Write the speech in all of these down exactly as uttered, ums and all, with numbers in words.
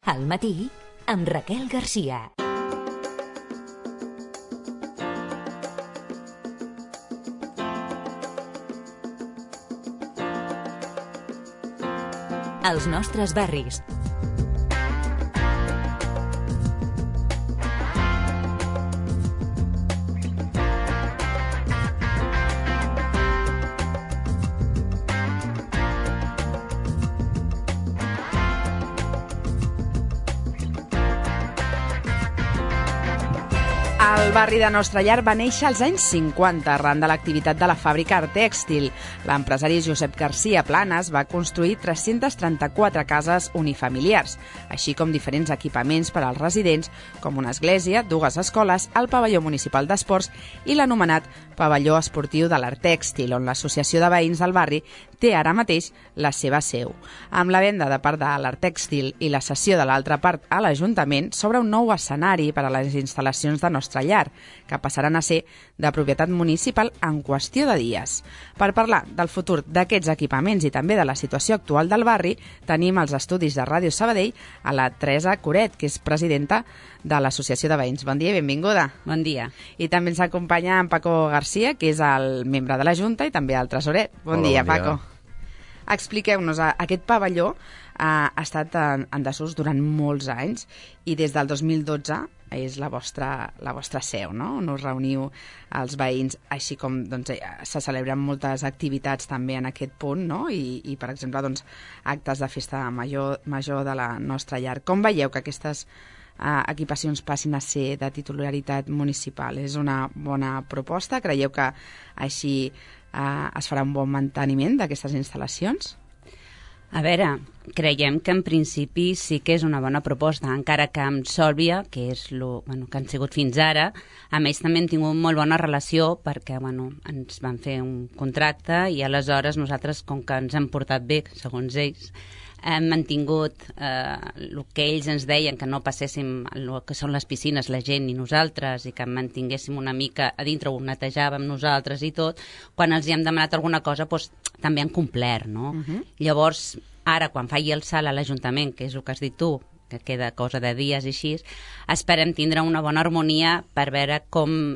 Al matí, amb Raquel Garcia. Els nostres barris. El barri de Nostra Llar va néixer als anys cinquanta arran de l'activitat de la fàbrica Artèxtil. L'empresari Josep Garcia Planas va construir tres-centes trenta-quatre cases unifamiliars, així com diferents equipaments per als residents, com una església, dues escoles, el pavelló municipal d'esports i l'anomenat pavelló esportiu de l'Artèxtil, on l'associació de veïns del barri té ara mateix la seva seu. Amb la venda de part de l'Artèxtil i la cessió de l'altra part a l'Ajuntament, s'obre un nou escenari per a les instal·lacions de Nostra Llar, que passaran a ser de propietat municipal en qüestió de dies. Per parlar del futur d'aquests equipaments i també de la situació actual del barri, tenim als estudis de Ràdio Sabadell a la Teresa Coret, que és presidenta de l'Associació de Veïns. Bon dia i benvinguda. Bon dia. I també ens acompanya en Paco Garcia, que és el membre de la Junta i també el tresorer. Bon Hola, dia, bon dia. Paco. Expliqueu-nos, aquest pavelló ha estat en, en desús durant molts anys i des del dos mil dotze és la vostra, la vostra seu, no? On us reuniu els veïns, així com doncs, se celebren moltes activitats també en aquest punt, no? I, i per exemple, doncs, actes de festa major, major de la Nostra Llar. Com veieu que aquestes eh, equipacions passin a ser de titularitat municipal? És una bona proposta? Creieu que així eh, es farà un bon manteniment d'aquestes instal·lacions? A veure, creiem que en principi sí que és una bona proposta, encara que amb Sòlvia, que és lo, bueno, que han sigut fins ara, a més també hem tingut molt bona relació perquè bueno, ens van fer un contracte i aleshores nosaltres, com que ens han portat bé, segons ells, hem mantingut eh, el que ells ens deien, que no passéssim el que són les piscines, la gent i nosaltres, i que mantinguéssim una mica a dintre, ho netejàvem nosaltres i tot. Quan els hi hem demanat alguna cosa, doncs, també han complert, no? Uh-huh. Llavors, ara, quan faci el salt a l'Ajuntament, que és el que has dit tu, que queda cosa de dies i així, esperem tindre una bona harmonia per veure com,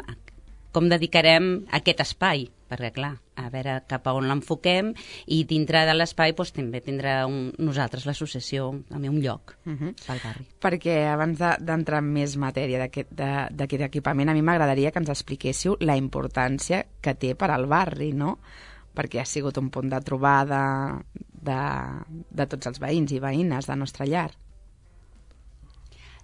com dedicarem aquest espai, perquè, clar, a veure cap a on l'enfoquem, i dintre de l'espai doncs, també tindrà un, nosaltres, l'associació, també un lloc uh-huh. pel barri. Perquè abans d'entrar de, en més matèria d'aquest equipament, a mi m'agradaria que ens expliquéssiu la importància que té per al barri, no? Perquè ha sigut un punt de trobada de, de tots els veïns i veïnes de Nostra Llar.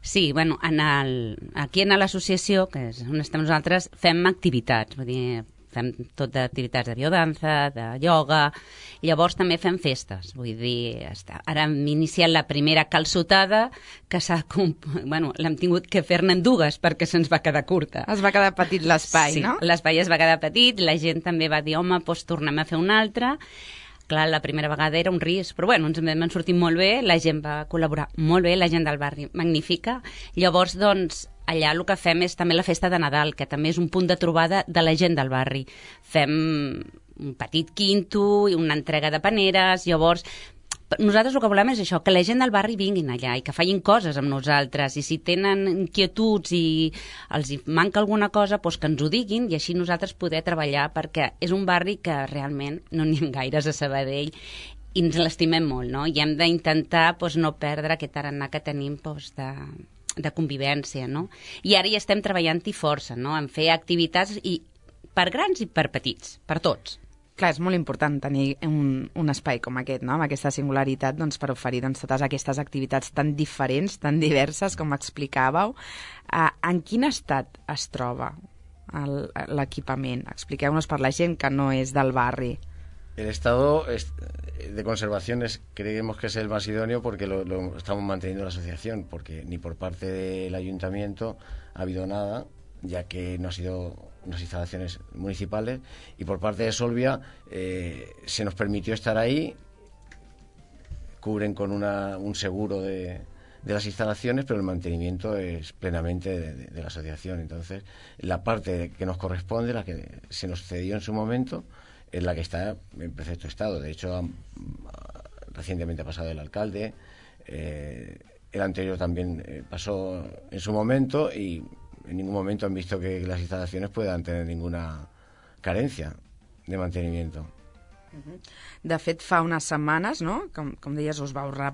Sí, bueno, en el, aquí en l'associació, que és on estem nosaltres, fem activitats, vull dir, fem tot d'activitats de biodanza, de ioga, llavors també fem festes, vull dir, està. Ara hem iniciat la primera calçotada, que s'ha, bueno, l'hem tingut que fer-ne en dues perquè se'ns va quedar curta. Es va quedar petit l'espai, sí, no? Sí, l'espai es va quedar petit, la gent també va dir, home, doncs tornem a fer una altra. Clar, la primera vegada era un risc, però bueno, ens vam sortir molt bé, la gent va col·laborar molt bé, la gent del barri magnífica. Llavors, doncs, allà el que fem és també la festa de Nadal, que també és un punt de trobada de la gent del barri. Fem un petit quinto i una entrega de paneres, llavors nosaltres el que volem és això, que la gent del barri vinguin allà i que facin coses amb nosaltres, i si tenen inquietuds i els manca alguna cosa, doncs que ens ho diguin i així nosaltres poder treballar, perquè és un barri que realment no n'hi ha gaires a Sabadell i ens l'estimem molt, no? I hem d'intentar doncs, no perdre aquest tarannà que tenim doncs, de, de convivència, no? I ara ja estem treballant-hi força, no? En fer activitats i per grans i per petits, per tots. Clar, és molt important tenir un, un espai com aquest, no? Amb aquesta singularitat, doncs, per oferir doncs, totes aquestes activitats tan diferents, tan diverses, com explicàveu. Uh, en quin estat es troba l'equipament? Expliqueu-nos per la gent que no és del barri. El estado de conservación es, creemos que es el más idóneo porque lo, lo estamos manteniendo la asociación, porque ni por parte del ayuntamiento ha habido nada, ya que no ha sido unas instalaciones municipales, y por parte de Solvia eh, se nos permitió estar ahí, cubren con una, un seguro de, de las instalaciones, pero el mantenimiento es plenamente de, de, de la asociación. Entonces, la parte que nos corresponde, la que se nos cedió en su momento, es la que está en perfecto estado. De hecho, ha, recientemente ha pasado el alcalde, eh, el anterior también eh, pasó en su momento y en ningún momento han visto que las instalaciones puedan tener ninguna carencia de mantenimiento. De fet, fa unes setmanes, no? com, com deies, us vau re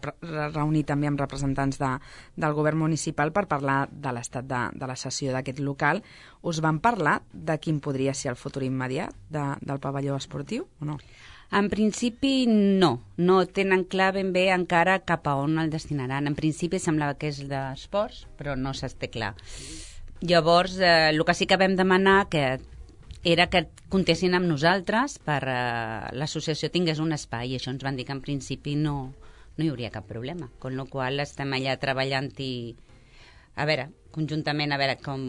reunir també amb representants de, del govern municipal per parlar de l'estat de, de la cessió d'aquest local. Us van parlar de quin podria ser el futur immediat de, del pavelló esportiu o no? En principi no, no tenen clar ben bé encara cap a on el destinaran. En principi semblava que és d'esports, però no s'està clar. Llavors, eh, el que sí que vam demanar que era que comptessin amb nosaltres per eh, l'associació tingués un espai, i això ens van dir que en principi no, no hi hauria cap problema, con la qual estem allà treballant i a veure, conjuntament a veure com,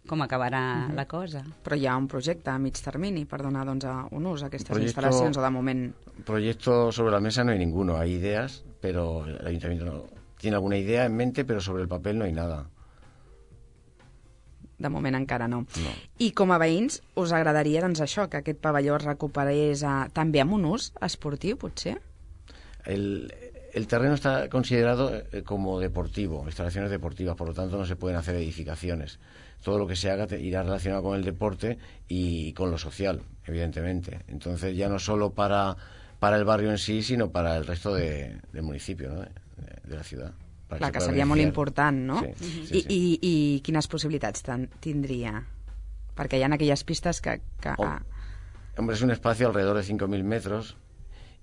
com acabarà uh-huh. la cosa. Però hi ha un projecte a mig termini per donar doncs, un ús a aquestes proyecto, instal·lacions, o de moment... Proyecto sobre la mesa no hay ninguno, hay ideas, pero el ayuntamiento no tiene alguna idea en mente, pero sobre el papel no hay nada. De moment encara no. no. I com a veïns, us agradaria doncs, això, que aquest pavelló es recuperés a, també amb un ús esportiu, potser? El, el terreno está considerado como deportivo, instalaciones deportivas, por lo tanto no se pueden hacer edificaciones. Todo lo que se haga te, irá relacionado con el deporte y con lo social, evidentemente. Entonces ya no solo para, para el barrio en sí, sino para el resto de, del municipio, ¿no? de, de la ciudad. Clar, que seria molt important, no? Sí, sí, I, sí. I, I quines possibilitats tindria? Perquè hi ha aquelles pistes que... que... Oh, hombre, es un espacio alrededor de cinco mil metros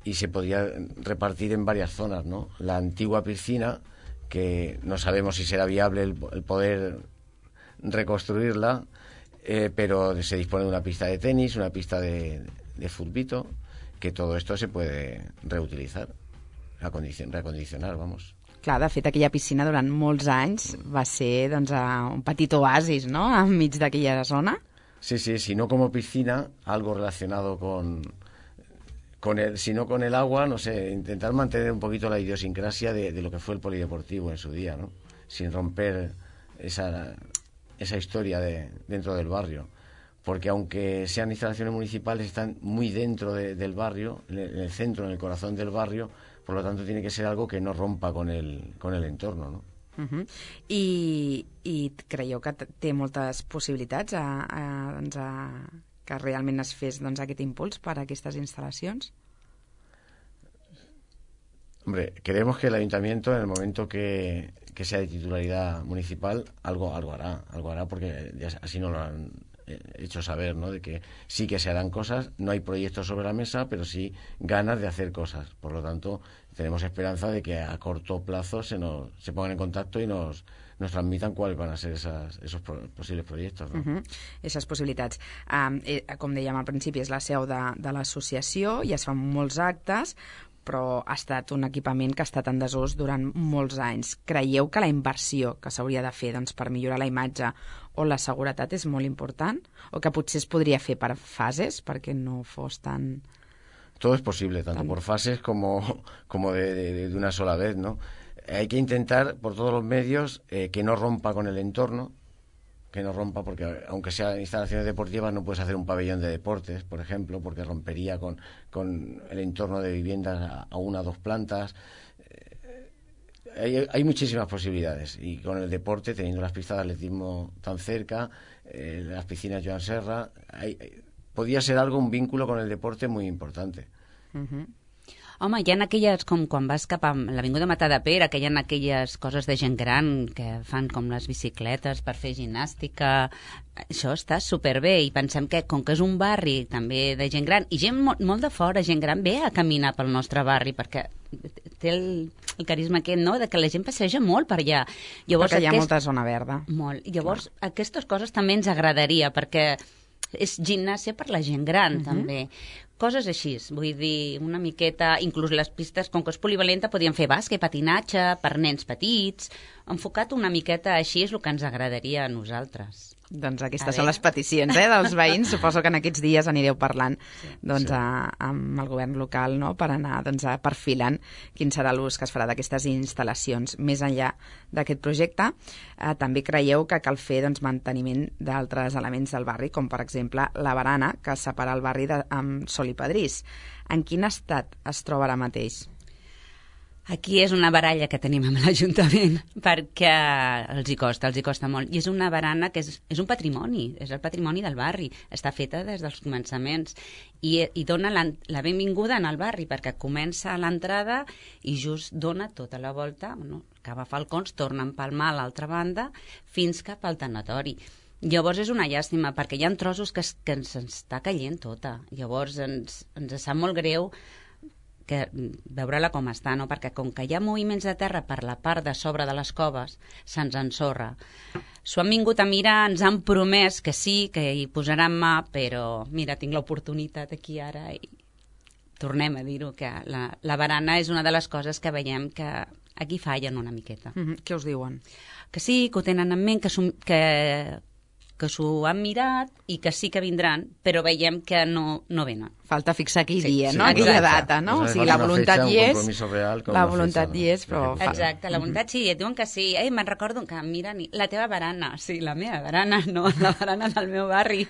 y se podría repartir en varias zonas, ¿no? La antigua piscina, que no sabemos si será viable el, el poder reconstruirla, eh, pero se dispone de una pista de tenis, una pista de, de futbito, que todo esto se puede reutilizar, reacondicionar, vamos. Clar, de fet, aquella piscina durant molts anys va ser doncs, un petit oasis, ¿no?, enmig d'aquella zona. Sí, sí, si no como piscina, algo relacionado con, con el, si no con el agua, no sé, intentar mantener un poquito la idiosincrasia de, de lo que fue el polideportivo en su día, ¿no? Sin romper esa, esa historia de, dentro del barrio. Porque aunque sean instalaciones municipales, están muy dentro de, del barrio, en el, en el centro, en el corazón del barrio. Por lo tanto, tiene que ser algo que no rompa con el, con el entorno, ¿no? Uh-huh. I, I creieu que té moltes possibilitats a, a, doncs a, que realment es fes doncs, aquest impuls per a aquestes instal·lacions? Hombre, creemos que el ayuntamiento, en el momento que, que sea de titularidad municipal, algo, algo hará, algo hará porque ya así no lo han hecho saber, ¿no? De que sí que se harán cosas, no hay proyectos sobre la mesa, pero sí ganas de hacer cosas. Por lo tanto, tenemos esperanza de que a corto plazo se nos se pongan en contacto y nos, nos transmitan cuáles van a ser esas, esos pro, posibles proyectos, ¿no? Uh-huh. Esas possibilitats. Um, eh, com dèiem al principi, és la seu de, de l'associació i es fan molts actes, però ha estat un equipament que ha estat en desús durant molts anys. Creieu que la inversió que s'hauria de fer doncs, per millorar la imatge o la seguretat és molt important? O que potser es podria fer per fases perquè no fos tan... Todo es posible, tanto tan... por fases como, como de, de, de una sola vez, ¿no? Hay que intentar por todos los medios eh, que no rompa con el entorno, que no rompa, porque aunque sean instalaciones deportivas no puedes hacer un pabellón de deportes, por ejemplo, porque rompería con, con el entorno de viviendas a, a una o dos plantas. Eh, hay, hay muchísimas posibilidades y con el deporte, teniendo las pistas de atletismo tan cerca, eh, las piscinas Joan Serra, hay, hay, podría ser algo, un vínculo con el deporte muy importante. Uh-huh. Home, hi ha aquelles, com quan vas cap a l'Avinguda Matadepera, que hi ha aquelles coses de gent gran que fan com les bicicletes per fer gimnàstica. Això està superbé i pensem que, com que és un barri també de gent gran, i gent molt, molt de fora, gent gran, ve a caminar pel nostre barri, perquè té el, el carisma aquest, no?, de que la gent passeja molt per allà. Llavors, perquè hi ha aquest... molta zona verda. Molt. Llavors, clar, aquestes coses també ens agradaria, perquè és gimnàsia per la gent gran, uh-huh. també. Coses així, vull dir, una miqueta, inclús les pistes, com que és polivalenta, podien fer bàsquet, patinatge, per nens petits, enfocat una miqueta així és el que ens agradaria a nosaltres. Doncs aquestes són les peticions, eh, dels veïns. Suposo que en aquests dies anireu parlant sí, doncs, sí. A, amb el govern local, no?, per anar doncs, a perfilant quin serà l'ús que es farà d'aquestes instal·lacions. Més enllà d'aquest projecte, eh, també creieu que cal fer doncs, manteniment d'altres elements del barri, com per exemple la barana que separa el barri de, amb Sol i Pedrís. En quin estat es troba ara mateix? Aquí és una baralla que tenim amb l'Ajuntament perquè els hi costa, els hi costa molt. I és una barana que és, és un patrimoni, és el patrimoni del barri. Està feta des dels començaments i, i dona la, la benvinguda en el barri perquè comença a l'entrada i just dona tota la volta, no? Acaba Falcons, torna a empalmar a l'altra banda fins cap al tanatori. Llavors és una llàstima perquè hi ha trossos que, es, que ens està caient tota. Llavors ens, ens sap molt greu que veure-la com està, no? Perquè com que hi ha moviments de terra per la part de sobre de les coves, se'ns ensorra. S'ho han vingut a mirar, ens han promès que sí, que hi posaran mà, però mira, tinc l'oportunitat aquí ara i tornem a dir-ho, que la, la barana és una de les coses que veiem que aquí fallen una miqueta. Mm-hmm. Què us diuen? Que sí, que ho tenen en ment, que, que, que s'ho han mirat i que sí que vindran, però veiem que no, no venen. Falta fixar aquell Sí, dia, sí, no? Aquella exacte. data, no? O Nos sigui, hace la falta una voluntat fecha, hi un és, compromiso real con la una voluntat fecha, hi és, però... no? fa- Exacte, la voluntat sí, et diuen que sí. Ei, me'n recordo que, mira, ni- la teva barana, sí, la meva barana, no, la barana del meu barri.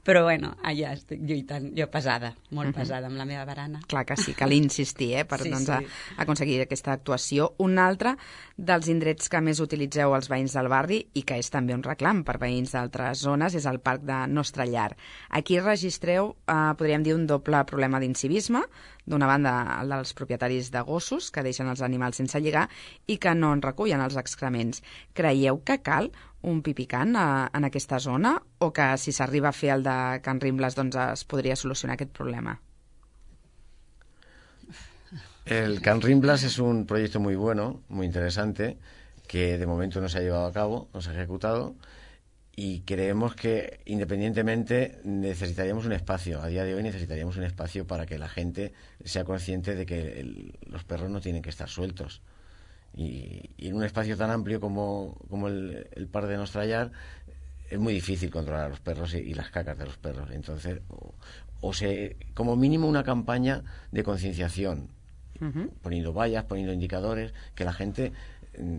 Però bueno, allà estic lluitant, jo pesada, molt pesada amb la meva barana. Clar que sí, cal insistir eh, per Sí, doncs, sí. A, aconseguir aquesta actuació. Un altre dels indrets que més utilitzeu els veïns del barri i que és també un reclam per veïns d'altres zones és el parc de Nostra Llar. Aquí registreu, eh, podríem dir, un doble problema d'incivisme. D'una banda, el dels propietaris de gossos que deixen els animals sense lligar i que no en recullen els excrements. Creieu que cal un pipicant a, en aquesta zona o que si s'arriba a fer el de Can Rimbles doncs es podria solucionar aquest problema? El Can Rimblas es un proyecto muy bueno, muy interesante, que de momento no se ha llevado a cabo, no se ha ejecutado, y creemos que independientemente necesitaríamos un espacio. A día de hoy necesitaríamos un espacio para que la gente sea consciente de que el, los perros no tienen que estar sueltos. Y, y en un espacio tan amplio como, como el, el Parc de Nostra Llar es muy difícil controlar a los perros y, y las cacas de los perros. Entonces, o, o se, como mínimo una campaña de concienciación, uh-huh. poniendo vallas, poniendo indicadores, que la gente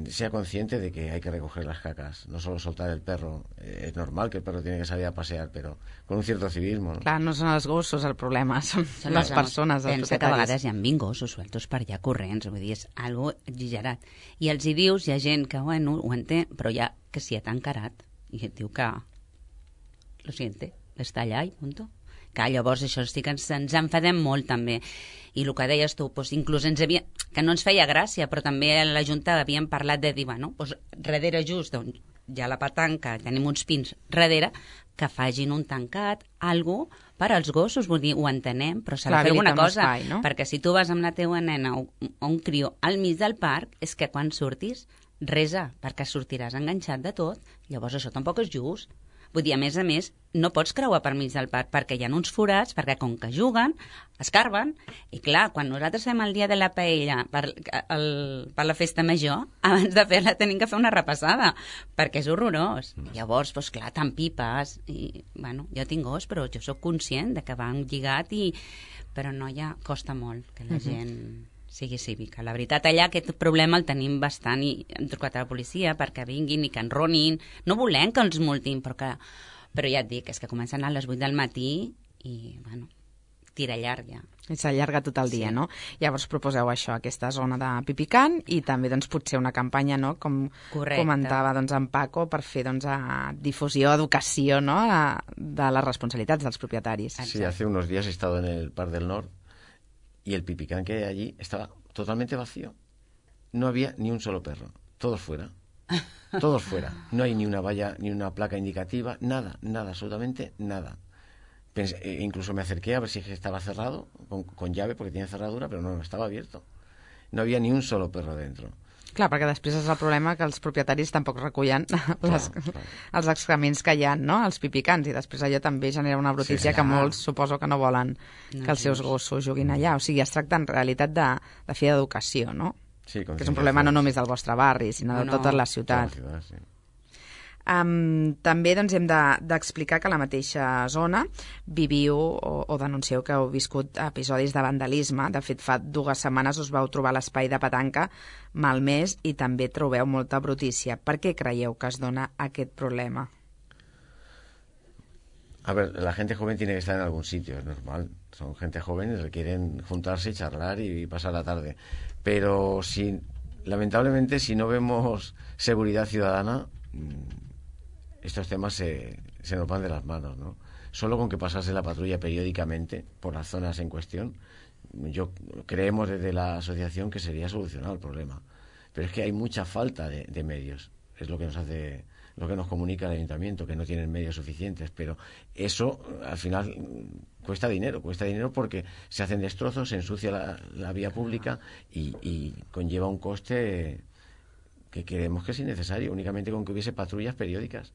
sea consciente de que hay que recoger las cacas, no solo soltar el perro. Eh, es normal que el perro tiene que salir a pasear, però con un cierto civismo, ¿no? Clar, no són els gossos el problema, són, Són les els persones, els Pensa que a propietaris. vegades hi ha vint gossos sueltos per allà corrents, vull dir, és algo exagerat. I els hi dius, hi ha gent que, bueno, ho entén, però ja que s'hi ha tan carat, i et diu que lo siente, està allà i punto. Que llavors això sí que ens, ens enfadem molt també. I el que deies tu, doncs, inclús ens havia, que no ens feia gràcia, però també a la Junta havíem parlat de dir, bueno, doncs, darrere just on hi ha la petanca, tenim uns pins darrere, que fagin un tancat, algo per als gossos, vull dir, ho entenem, però s'ha de fer alguna cosa, espai, no? perquè si tu vas amb la teva nena o, o un crió al mig del parc, és que quan surtis, resa, perquè sortiràs enganxat de tot, llavors això tampoc és just. Vull dir, a més a més, no pots creuar per mig del parc perquè hi ha uns forats, perquè com que juguen, escarben, i clar, quan nosaltres fem el dia de la paella per, el, per la festa major, abans de fer-la tenim que fer una repassada, perquè és horrorós. Llavors, doncs clar, tant pipes, i, bueno, jo tinc gos, però jo sóc conscient de que van lligat, i, però no, ja costa molt que la gent sigui cívica. La veritat, allà aquest problema el tenim bastant i hem trucat a la policia perquè vinguin i que enronin. No volem que els multin, però, que, però ja et dic, és que comencen a les vuit del matí i, bueno, tira llarg ja. I s'allarga tot el dia, Sí. no? Llavors proposeu això, aquesta zona de pipicant i també doncs, potser una campanya, no? Com Correcte. comentava doncs, en Paco, per fer doncs, a difusió, educació, no? A, de les responsabilitats dels propietaris. Sí, hace unos días he estado en el Parc del Nord y el pipicán que hay allí estaba totalmente vacío. No había ni un solo perro. Todos fuera. Todos fuera. No hay ni una valla, ni una placa indicativa, nada, nada, absolutamente nada. Pensé, eh, incluso me acerqué a ver si estaba cerrado, con, con llave, porque tiene cerradura, pero no, estaba abierto. No había ni un solo perro dentro. Clar, perquè després és el problema que els propietaris tampoc recullen les, clar. els excrements que hi ha, no? Els pipicants, i després allò també genera una brutícia Sí, que clar. molts suposo que no volen No, que els seus just. gossos juguin allà. O sigui, es tracta en realitat de, de fer educació, no? Sí, Que és un problema no només del vostre barri, sinó de No, tota la Toda ciutat. la ciudad, sí. Um, també doncs, hem de- d'explicar que a la mateixa zona viviu o, o denuncieu que heu viscut episodis de vandalisme. De fet, fa dues setmanes us vau trobar l'espai de petanca malmès i també trobeu molta brutícia. Per què creieu que es dona aquest problema? A ver, la gente joven tiene que estar en algún sitio, es normal. Son gente joven y requieren juntarse y charlar y pasar la tarde. Pero si, lamentablemente, si no vemos seguridad ciudadana, estos temas se, se nos van de las manos, ¿no? Solo con que pasase la patrulla periódicamente por las zonas en cuestión, yo creemos desde la asociación que sería solucionado el problema. Pero es que hay mucha falta de, de medios. Es lo que nos hace, lo que nos comunica el ayuntamiento, que no tienen medios suficientes. Pero eso, al final, cuesta dinero. Cuesta dinero porque se hacen destrozos, se ensucia la, la vía pública y, y conlleva un coste que creemos que es innecesario. Únicamente con que hubiese patrullas periódicas.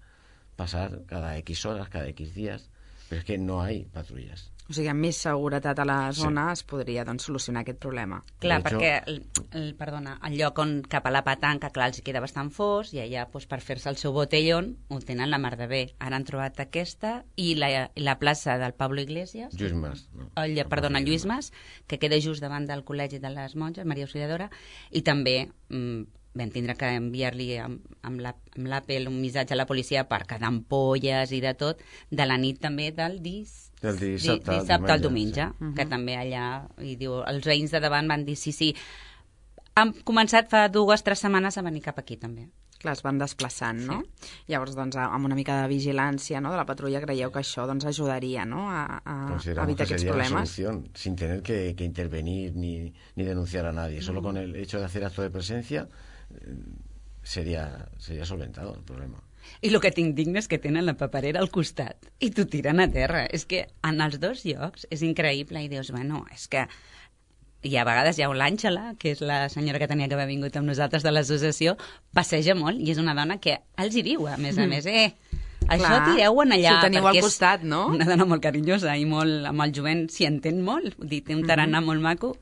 Pasar cada X horas, cada X días. Però és que no hi ha patrulles. O sigui, amb més seguretat a la zona sí. es podria doncs, solucionar aquest problema. Clar, hecho... perquè el, el, perdona, el lloc on cap a la petanca, clar, els queda bastant fos, i allà doncs, per fer-se el seu botellón ho tenen la mar de bé. Ara han trobat aquesta i la, la plaça del Pablo Iglesias, Lluís Mas, no? el, perdona, Lluís Mas, que queda just davant del Col·legi de les Monges, Maria Auxiliadora, i també mm, vam tindre que enviar-li amb, amb l'Apple un missatge a la policia per quedar ampolles i de tot, de la nit també del dis... del dissabte, di, dissabte al diumenge, sí. uh -huh. que també allà, i diu, els veïns de davant van dir sí, sí, han començat fa dues o tres setmanes a venir cap aquí també. Clar, es van desplaçant, no? Sí. Llavors, doncs, amb una mica de vigilància, no?, de la patrulla, creieu que això doncs, ajudaria, no?, a, a evitar aquests problemes. Solución, sin tener que, que intervenir ni, ni denunciar a nadie. Solo con el hecho de hacer acto de presencia sería, sería solventado el problema. I el que tinc digne és que tenen la paperera al costat i t'ho tiren a terra. És que en els dos llocs és increïble i dius, bueno, és que... I a vegades hi ha l'Àngela, que és la senyora que tenia que haver vingut amb nosaltres de l'associació, passeja molt i és una dona que els hi diu, a més a més, eh, això Clar, tireu-ho allà. si ho teniu al costat, no? Una dona molt carinyosa i molt, amb el jovent s'hi entén molt, vull dir, té un tarannà molt maco,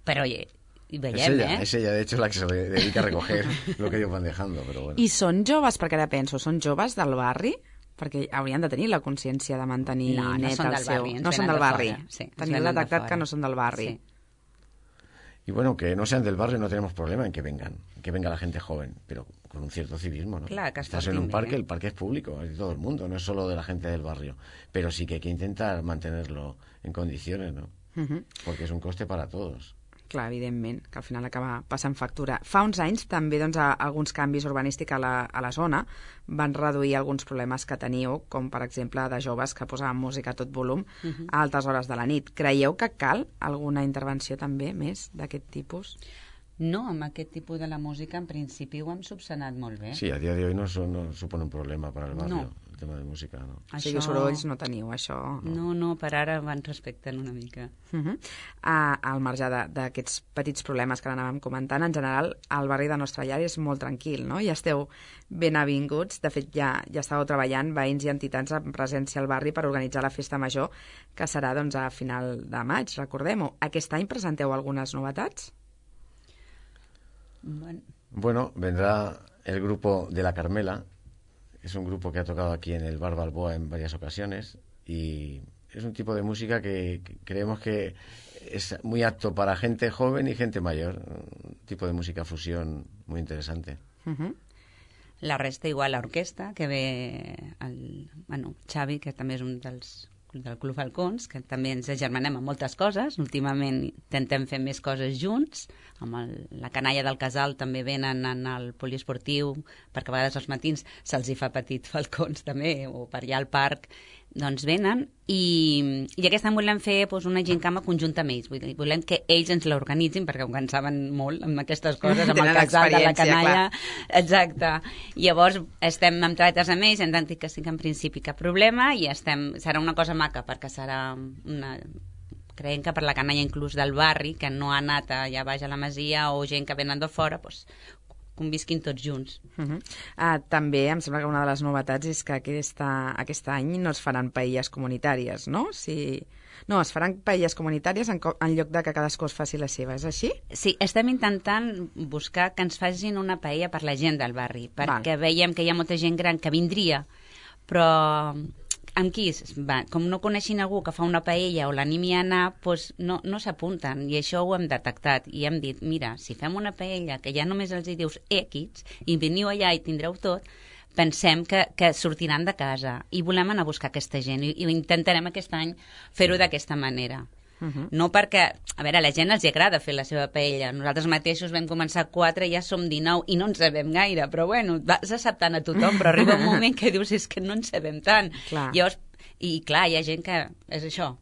però oye, i veiem, es ella, eh? es ella, de hecho, la que se dedica a recoger lo que ellos van dejando, pero bueno. I són joves, perquè ara penso, són joves del barri? Perquè haurien de tenir la consciència de mantenir no, no net són el del seu... barri, no són del barri. Sí, Teniu detectat que no són del barri. Sí. Y bueno, que no sean del barrio no tenemos problema en que vengan, que venga la gente joven, pero con un cierto civismo, ¿no? Claro, que estás en un parque, ¿eh? El parque es público, es de todo el mundo, no es solo de la gente del barrio, pero sí que hay que intentar mantenerlo en condiciones, ¿no? Uh-huh. Porque es un coste para todos. Clar, evidentment, que al final acaba passant factura. Fa uns anys també doncs, alguns canvis urbanístics a la, a la zona van reduir alguns problemes que teníeu, com per exemple de joves que posaven música a tot volum uh-huh. a altes hores de la nit. Creieu que cal alguna intervenció també més d'aquest tipus? No, amb aquest tipus de la música en principi ho hem subsanat molt bé. Sí, a dia de hoy no, son, no supone un problema para el barrio, no. el tema de música, no. Això... O sigui, sorolls no teniu, això... No, no, per ara van respectant una mica. Uh-huh. uh, al marge d'aquests petits problemes que anàvem comentant, en general, el barri de Nostra Llar és molt tranquil, no? Ja esteu ben avinguts, de fet ja, ja estàveu treballant veïns i entitats en presència al barri per organitzar la festa major, que serà doncs, a final de maig, recordem-ho. Aquest any presenteu algunes novetats? Bueno. bueno, vendrá el grupo de la Carmela, es un grupo que ha tocado aquí en el Bar Balboa en varias ocasiones y es un tipo de música que, que creemos que es muy apto para gente joven y gente mayor, un tipo de música fusión muy interesante. Uh-huh. La resta igual, l'orquestra, que ve el, bueno, Xavi, que també és un dels del Club Falcons, que també ens agermanem amb moltes coses. Últimament intentem fer més coses junts. Amb el, la canalla del casal també venen en el poliesportiu, perquè a vegades als matins se'ls hi fa petit Falcons també, o per allà al parc, doncs venen. I, i aquest any volem fer doncs, una gincama conjunta amb ells. Vull dir, volem que ells ens l'organitzin, perquè ho en saben molt amb aquestes coses, amb el casal de la canalla. Clar. Exacte. Llavors estem amb treballes amb ells, hem dit que sí que en principi cap problema, i estem, serà una cosa maca, perquè serà una... creiem que per la canalla inclús del barri, que no ha anat allà baix a la masia, o gent que venen de fora, doncs convisquin tots junts. Uh-huh. uh, també em sembla que una de les novetats és que aquesta, aquest any no es faran paelles comunitàries, no? Si... No, es faran paelles comunitàries en, en lloc de que cadascú es faci la seva, és així? Sí, estem intentant buscar que ens facin una paella per la gent del barri, perquè Val. veiem que hi ha molta gent gran que vindria, però... amb qui? Va, com no coneixin algú que fa una paella o l'animi a anar, doncs no, no s'apunten, i això ho hem detectat, i hem dit, mira, si fem una paella que ja només els hi dius X, i veniu allà i tindreu tot, pensem que, que sortiran de casa i volem anar a buscar aquesta gent i, i intentarem aquest any fer-ho d'aquesta manera. Uh-huh. No perquè, a veure, a la gent els agrada fer la seva paella. Nosaltres mateixos vam començar quatre, ja som dinou i no en sabem gaire, però bueno, vas acceptant a tothom, però arriba un moment que dius és que no en sabem tant. Clar. Llavors, i clar, hi ha gent que és això,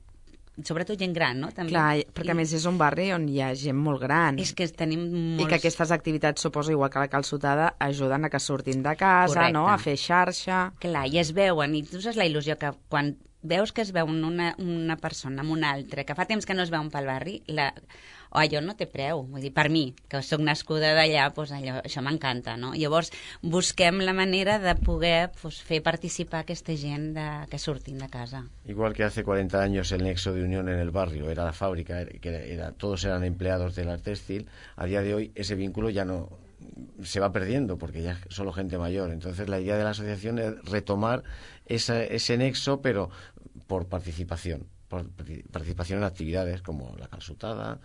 sobretot gent gran, no? També. Clar, perquè I... a més és un barri on hi ha gent molt gran. És que tenim molts... I que aquestes activitats, suposo, igual que la calçotada, ajuden a que surtin de casa, correcte, no? A fer xarxa. Clar, i es veuen, i tu saps la il·lusió que quan veus que es veuen una, una persona amb una altra, que fa temps que no es veuen pel barri, la... o allò no té preu. Vull dir, per mi, que sóc nascuda d'allà, doncs allò, això m'encanta, no? Llavors, busquem la manera de poder pues, fer participar aquesta gent de, que surtin de casa. Igual que hace cuarenta años el nexo de unión en el barrio era la fábrica, que era, era, todos eran empleados del Artextil, a día de hoy ese vínculo ya no se va perdiendo porque ya es solo gente mayor. Entonces la idea de la asociación es retomar esa, ese nexo, pero por participación, por participación en actividades como la calçotada,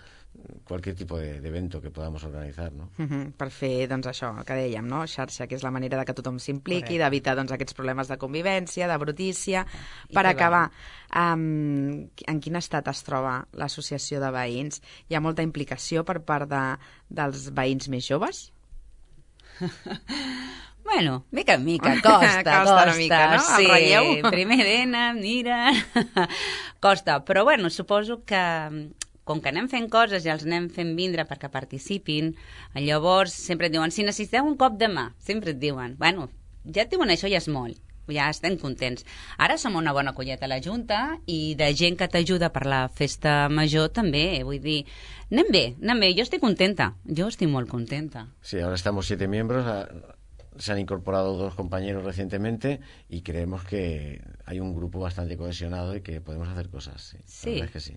qualsevol tipus d'evento que podamos organitzar, no? Uh-huh, per fer, doncs, això, el que dèiem, no? Xarxa, que és la manera de que tothom s'impliqui, d'evitar, doncs, aquests problemes de convivència, de brutícia. I per acabar, um, en quin estat es troba l'associació de veïns? Hi ha molta implicació per part de, dels veïns més joves? Bueno, mica en mica, costa, costa. Costa una mica, no? Sí, el relleu. Primer venen, mira... costa, però bueno, suposo que... com que anem fent coses i els anem fent vindre perquè participin, llavors sempre et diuen, si necessiteu un cop de mà, sempre et diuen, bueno, ja et diuen això ja és molt, ja estem contents. Ara som una bona colleta a la Junta i de gent que t'ajuda per la festa major també, vull dir, anem bé, anem bé, jo estic contenta, jo estic molt contenta. Sí, ahora estamos siete miembros, se han incorporado dos compañeros recientemente y creemos que hay un grupo bastante cohesionado y que podemos hacer cosas, sí, sí. La verdad es que sí.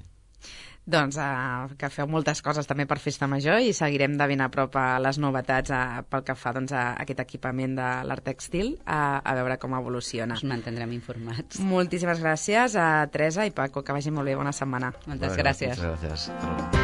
Doncs uh, que feu moltes coses també per Festa Major i seguirem de ben a prop a les novetats uh, pel que fa doncs, a aquest equipament de l'Artextil, uh, a veure com evoluciona. Us mantindrem informats. Moltíssimes gràcies a Teresa i Paco, que vagi molt bé, bona setmana. Moltes gràcies. Moltes gràcies.